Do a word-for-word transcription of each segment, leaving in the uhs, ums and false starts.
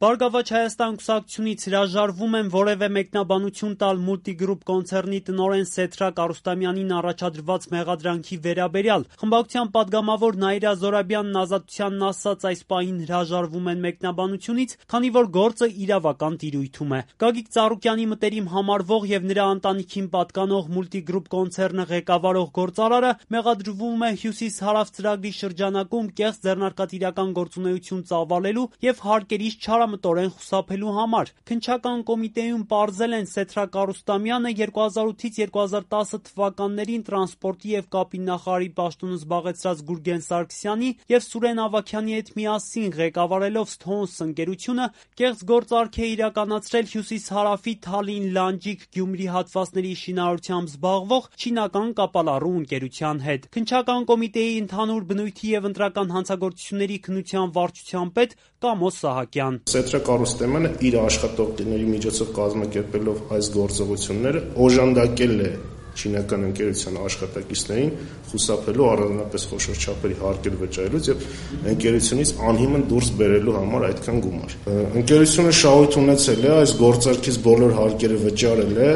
Բարգավաճ Հայաստան կուսակցությունից հրաժարվում են որևէ մեկնաբանություն տալ Multigroup կոնցեռնի տնօրեն Սեդրակ Արուստամյանին առաջադրված մեղադրանքի վերաբերյալ։ Խմբակցության պատգամավոր Նաիրա Զորաբյանն Ազատությանն ասաց, այս պահին հրաժարվում են մեկնաբանությունից, քանի որ գործը իրավական տիրույթում է։ Գագիկ Ծառուկյանի մտերիմ համարվող եւ նրա ընտանիքին պատկանող Multigroup կոնցեռնը ղեկավարող գործարարը մեղադրվում է Հյուսիս-Հարավ ծրագրի շրջանակում կեղծ ձեռնարկատիրական գործունեություն ծավալելու եւ հարկերից չարամտորեն խուսափելու համար։ Քննչական կոմիտեում պարզել են Սեդրակ Արուստամյանը երկու հազար ութից երկու հազար տասը թվականներին տրանսպորտի եւ կապի նախարարի պաշտոնը զբաղեցրած Գուրգեն Սարգսյանի եւ Սուրեն Ավագյանի հետ միասին ղեկավարելով Stones ընկերությունը կեղծ գործարք է իրականացրել Հյուսիս-Հարավի Թալին-Լանջիկ-Գյումրի հատվածների շինարարությամբ զբաղվող չինական կապալառու ընկերության հետ։ Քննչական կոմիտեի ընդհանուր բնույթի եւ ընտրական հանցագործությունների քննության վարչության պետ Կամո Սահակյան: Սեդրակ Արուստամյանը իր աշխատողների միջոցով կազմակերպելով այս գործողությունները օժանդակել է չինական ընկերության աշխատակիցներին խուսափելու առանձնապես խոշոր չափերի հարկեր վճարելուց եւ ընկերությունից անհիմն դուրս բերելու համար այդքան գումար։ Ընկերությունը շահույթ ունեցել է այս գործարքից բոլոր հարկերը վճարել է,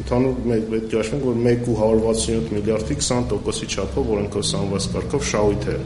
ընդհանուր պետք է հաշվենք, որ մեկ ու հարյուր վաթսունյոթ միլիարդի քսան տոկոսի չափով օրենքով սահմանված կարգով շահույթ է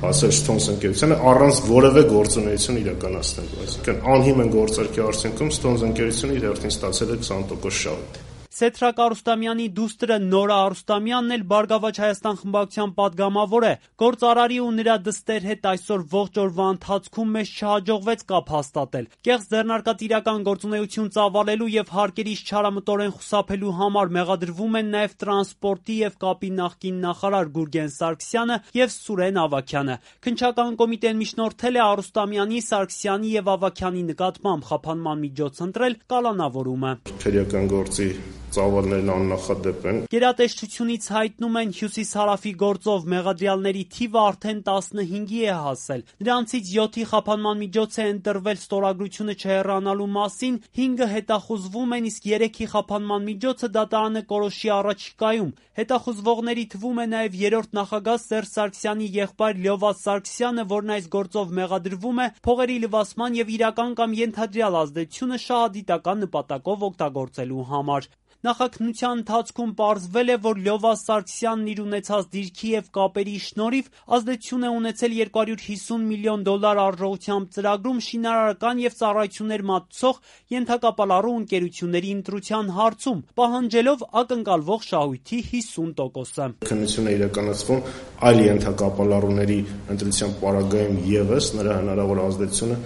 հասել Stones ընկերությանը առանց որևէ գործունեություն իրականացնելու։ Այսինքն անհիմն գործարքի արդյունքում Stones ընկերությունը իր հերթին ստացել է քսան տոկոս շահույթ։ Սեդրակ Արուստամյանի դուստրը Նորա Արուստամյանն էլ Բարգավաճ Հայաստան խմբակցության պատգամավոր է։ Գործարարի ու նրա դստեր հետ այսօր ողջ օրվա ընթացքում մեզ չհաջողվեց կապ հաստատել։ Կեղծ ձեռնարկատիրական գործունեություն ծավալելու եւ հարկերից չարամտորեն խուսափելու համար մեղադրվում են նաեւ տրանսպորտի եւ կապի նախկին նախարար Գուրգեն Սարգսյանը եւ Սուրեն Ավագյանը։ Քննչական կոմիտեն միջնորդել է Արուստամյանի, Սարգսյանի եւ Ավագյանի նկատմամբ խափանման միջոց ընտրել կալանավորումը։ Քրեական գործի ծավալներն աննախադեպ են։ Գերատեսչությունից հայտնում են Հյուսիս-Հարավի գործով մեղադրյալների թիվը արդեն տասնհինգի է հասել։ Նրանցից յոթի խափանման միջոց է ընտրվել ստորագրությունը չհեռանալու մասին, հինգը հետախուզվում են, իսկ երեքի խափանման միջոցը դատարանը կորոշի առաջիկայում։ Հետախուզվողների թվում է նաև երրորդ նախագահ Սերժ Սարգսյանի եղբայր Լյովա Սարգսյանը, որն այս գործով մեղադրվում է փողերի լվացման եւ իրական կամ ենթադրյալ ազդեցությունը շահադիտական նպատակով օգտագործելու համար։ Նախաքննության ընթացքում պարզվել է, որ Լյովա Սարգսյանն իր ունեցած դիրքի եւ կապերի շնորհիվ ազդեցություն է ունեցել երկու հարյուր հիսուն միլիոն դոլար արժողությամբ ծրագրում շինարարական եւ ծառայություններ մատուցող ենթակապալառու ընկերությունների ընտրության հարցում, պահանջելով ակնկալվող շահույթի հիսուն տոկոսը։ Քննությունը իրականացվում այլ ենթակապալառուների ընտրության պարագայում եւս նրա հնարավոր ազդեցությունը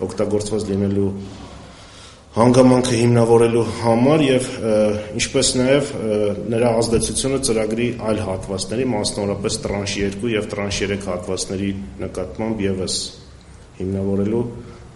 օգտագործված լինելու հանգամանքը հիմնավորելու համար եւ ինչպես նաեւ նրա ազդեցությունը ծրագրի այլ հատվածների, մասնավորապես տրանշ երկու եւ տրանշ երեք հատվածների նկատմամբ եւս հիմնավորելու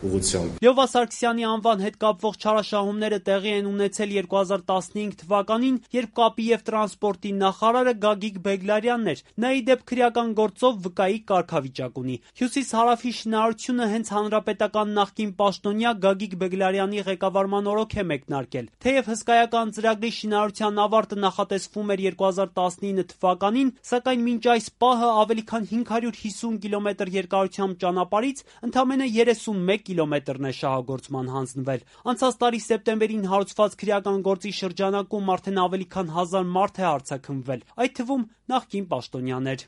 ուղղությամբ։ Լյովա Սարգսյանի անվան հետ կապվող չարաշահումները տեղի են ունեցել երկու հազար տասնհինգ թվականին, երբ կապի եւ տրանսպորտի նախարարը Գագիկ Բեգլարյանն էր։ Նա ի դեպ քրեական գործով վկայի կարգավիճակ ունի։ Հյուսիս-Հարավի շինարարությունը հենց հանրապետական նախկին պաշտոնյա Գագիկ Բեգլարյանի ղեկավարման օրոք է մեկնարկել։ Թեև հսկայական ծրագրի շինարարության ավարտը նախատեսվում էր երկու հազար տասնինը թվականին, սակայն մինչ այս պահը ավելի քան հինգ հարյուր հիսուն կիլոմետր երկարությամբ ճանապարհից ընդամենը երեսունմեկ կիլոմետրն է շահագործման հանձնվել։ Անցած տարի սեպտեմբերին հարուցված քրեական գործի շրջանակում արդեն ավելի քան հազար մարդ է արձաքնվել, այդ թվում նախկին պաշտոնյաներ։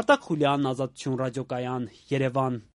Արտակ Խուլյան, Ազատություն ռադիոկայան, Երևան։